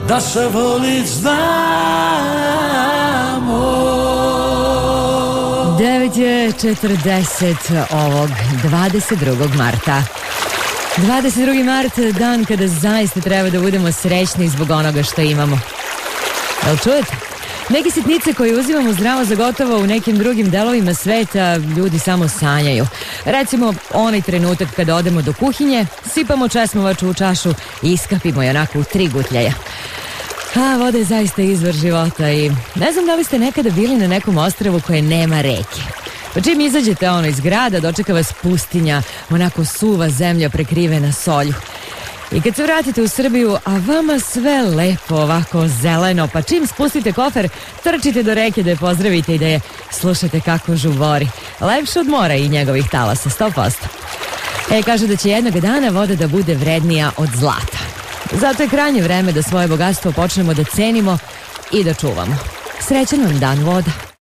da se volit znamo. 9:40 ovog 22. marta. 22. mart, dan kada zaista treba da budemo srećni zbog onoga što imamo. Jel čujete? Neke sitnice koje uzimamo zdravo za gotovo u nekim drugim delovima sveta ljudi samo sanjaju. Recimo, onaj trenutak kada odemo do kuhinje, sipamo česmovaču u čašu i iskapimo je onako u 3 gutljaja. A voda je zaista izvor života i ne znam da li ste nekada bili na nekom ostrvu koje nema reke. Pa čim izađete iz grada, dočeka vas pustinja, onako suva zemlja prekrivena solju. I kad se vratite u Srbiju, a vama sve lepo, ovako zeleno, pa čim spustite kofer, trčite do reke da je pozdravite i da je slušate kako žubori. Lepše od mora i njegovih talasa, 100%. Kaže da će jednog dana voda da bude vrednija od zlata. Zato je krajnje vreme da svoje bogatstvo počnemo da cenimo i da čuvamo. Srećan vam dan, voda!